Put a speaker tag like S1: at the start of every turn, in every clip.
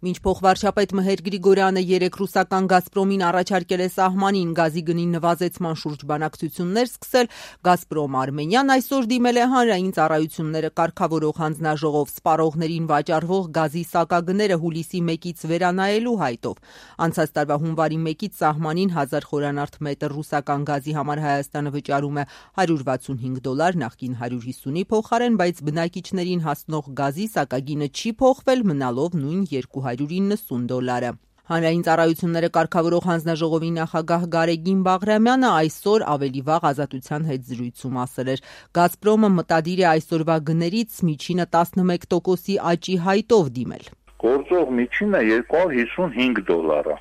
S1: Մինչ փոխվարչապետ Մհեր Գրիգորյանը երեկ ռուսական «Գազպրոմին» առաջարկել է սահմանին գազի գնի նվազեցման շուրջ բանակցություններ սկսել, «Գազպրոմ Արմենիան» այսօր դիմել է Հանրային ծառայությունները կարգավորող հանձնաժողով սպառողներին վաճառվող գազի սակագները հուլիսի 1-ից վերանայելու հայտով։ Անցած տարվա հունվարի 1-ից սահմանին 1000 խորանարդ մետր ռուսական գազի համար Հայաստանը վճարում է $165, նախկին 150-ի փոխարեն, բայց բնակիչներին հասնող գազի սակագինը չի փոխվել, մնալով նույն $290։ Հանրային ծառայությունները կարգավորող հանձնաժողովի նախագահ Գարեգին Բաղրամյանը այսօր ավելի վաղ Ազատության հետ զրույցում ասել էր. «Գազպրոմը մտադիր է այսօրվա գներից միջինը 11%-ի աճի հայտով դիմել»։
S2: Գործող միջինը $255 է։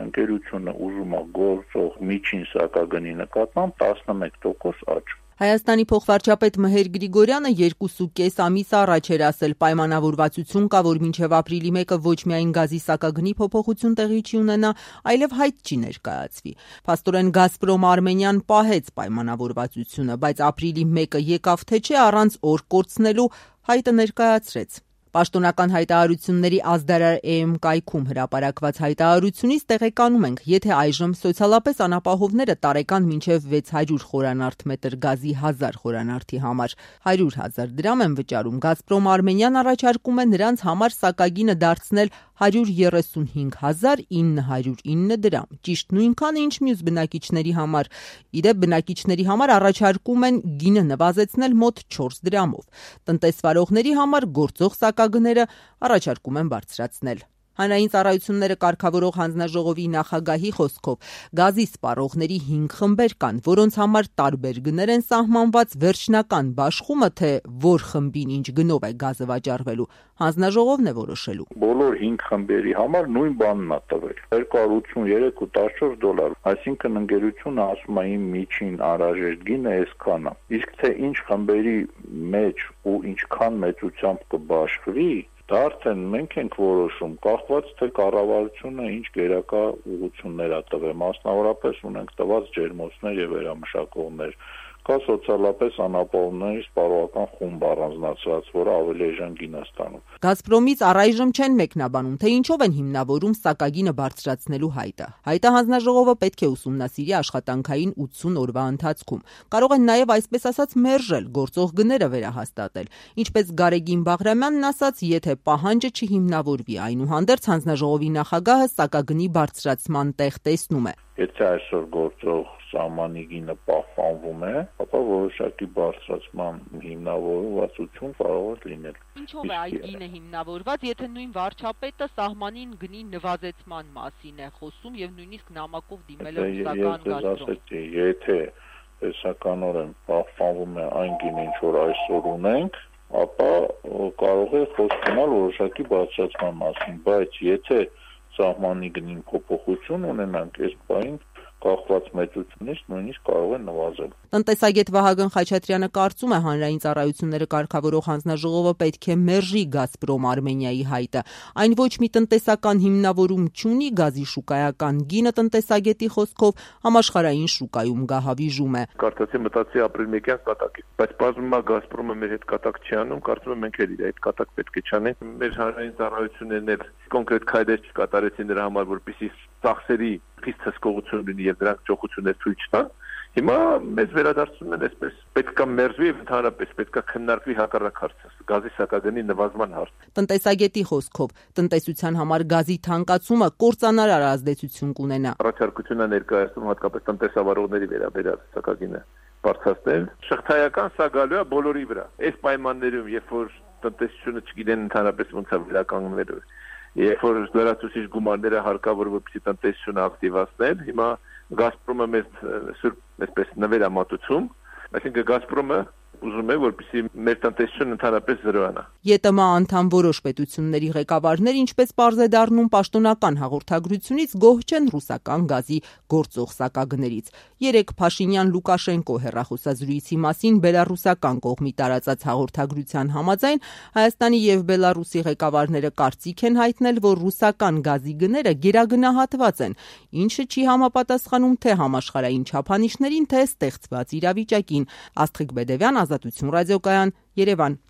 S2: Ընկերությունը ուզում է գործող միջին սակագնի նկատմամբ 11% աճ։
S1: Հայաստանի փոխվարչապետ Մհեր Գրիգորյանը 2.5 ամիս առաջ էր ասել պայմանավորվածություն կա, որ մինչև ապրիլի 1-ը ոչ միայն գազի սակագնի փոփոխություն տեղի չի ունենա, այլև հայտ չի ներկայացվի։ Փաստորեն «Գազպրոմ Արմենիան» պահեց պայմանավորվածությունը, բայց ապրիլի 1-ը եկավ թե չէ առանց օր կորցնելու հայտը ներկայացրեց։ Պաշտոնական հայտարարությունների ազդարար EM կայքում հրապարակված հայտարարությունից տեղեկանում ենք, եթե այժմ սոցիալապես անապահովները տարեկան մինչև 600 խորանարդ մետր գազի 1000 խորանարդի համար 100,000 դրամ են վճարում, «Գազպրոմ Արմենիան» առաջարկում է նրանց համար սակագինը դարձնել 135,909 դրամ, ճիշտ նույնքանը, ինչ մյուս բնակիչների համար։ Իդեպ բնակիչների համար առաջարկում են գինը նվազեցնել մոտ 4 դրամով։ Տնտեսվարողների համար գործող սակագները առաջարկում են բարձրացնել։ Հանրային ծառայությունները կարգավորող հանձնաժողովի նախագահի խոսքով գազի սպառողների 5 խմբեր կան, որոնց համար տարբեր գներ են սահմանված, վերջնական բաշխումը, թե որ խմբին ինչ գնով է գազը վաճառվելու, հանձնաժողովն է որոշելու։
S2: Բոլոր 5 խմբերի համար նույն բանն է տվել՝ $283, այսինքն ընկերությունը ասում է իմ միջին անհրաժեշտ գինը այսքան է։ Իսկ թե ինչ խմբերի մեջ ու ինչքան մեծությամբ կբաշխվի, դա արդեն մենք ենք որոշում, կախված թե կառավարությունը ինչ գերակա ուղղություններ է տվել, մասնավորապես ունենք տված ջերմոցներ եւ վերամշակողներ, կա սոցիալապես անապահովների սպառողական խումբ առանձնացված, որը ավելի էժան գին է ստանում։
S1: «Գազպրոմից» առայժմ չեն մեկնաբանում, թե ինչով են հիմնավորում սակագինը բարձրացնելու հայտը։ Հայտը հանձնաժողովը պետք է ուսումնասիրի աշխատանքային 80 օրվա ընթացքում։ Կարող են նաև այսպես ասած մերժել, գործող գները վերահաստատել։ Ինչպես Գարեգին Բաղրամյանն ասաց, եթե պահանջը չհիմնավորվի, այնուհանդերձ հանձնաժողովի նախագահը սակագնի բարձրացման տեղ տեսնում է։
S2: Եթե այսօր գործող սահմանի գինը պահպանվում է, ապա որոշակի բարձրացման հիմնավորվածություն կարող է լինել։
S1: Ինչով է այդ գինը հիմնավորված, եթե նույն վարչապետը սահմանին գնի նվազեցման մասին է խոսում եւ նույնիսկ նամակով դիմել է ռուսական «Գազպրոմ»։
S2: Եթե տեսականորեն պահպանվում է այն գինը, ինչ որ այսօր ունենք, ապա կարող է խոսք գնալ որոշակի բարձրացման մասին, բայց եթե սահմանի գնին փոփոխություն ունենանք, այս բանին կախված մեծությունից նույնիսկ կարող է նվազել։
S1: Տնտեսագետ Վահագն Խաչատրյանը կարծում է, հանրային ծառայությունները կարգավորող հանձնաժողովը պետք է մերժի «Գազպրոմ Արմենիայի» հայտը։ Այն ոչ մի տնտեսական հիմնավորում չունի, գազի շուկայական գինը տնտեսագետի խոսքով համաշխարհային շուկայում գահավիժում է։
S3: Կարծացի մտածի ապրիլ 1-յան կատակի, բայց բազմում է «Գազպրոմը» մեր հետ կատակ չի անում, կարծում եմ մենք էլ իր այդ կատակ պետք է չանենք։ Մեր հանրային ծառայություններն էլ կոնկրետ քայլեր չկատարեցին դրա համար, որպեսզի ծախսերի խիստ հսկողություն լինի եւ դրանք ճոխություններ ցույց տան։ Հիմա մեզ վերադարձնում են այսպես, պետքա մերժվի եւ ընդհանրապես պետքա քննարկվի հակառակ հարցը, գազի սակագնի նվազման հարցը։
S1: Տնտեսագետի խոսքով տնտեսության համար գազի թանկացումը կործանարար ազդեցություն կունենա։
S3: Առաջարկությունը ներկայացնում հատկապես տնտեսավարողների վերաբերյալ սակագինը բարձրացնել։ Շղթայական սա գալու է բոլորի վրա։ Այս պայմաններում, երբ որ տնտեսությունը չգիտեն ընդհանրապես ոնց է վերականգնվելու, երբ որ լրացուցիչ գումարները հարկավոր որպեսզի տնտեսությունը ակտիվացնել, հիմա «Գազպրոմը» մեզ սուրբ այսպես նվերամատուցում, այսինքն «Գազպրոմը» ուզում է, որպեսզի մեր տնտեսությունը ընդհանրապես զրոանա։
S1: ԵՏՄ անդամ որոշ պետությունների ղեկավարներ, ինչպես պարզ է դառնում պաշտոնական հաղորդագրությունից, գոհ չեն ռուսական գազի գործող սակագներից։ Երեկ Փաշինյան-Լուկաշենկո հեռախոսազրույցի մասին բելառուսական կողմի տարածած հաղորդագրության համաձայն Հայաստանի եւ Բելառուսի ղեկավարները կարծիք են հայտնել, որ ռուսական գազի գները գերագնահատված են, ինչը չի համապատասխանում թե համաշխարհային չափանիշներին, թե ստեղծված իրավիճակին։ Աստղիկ Բեդևյան, Ազատություն ռադիոկայան, Երևան։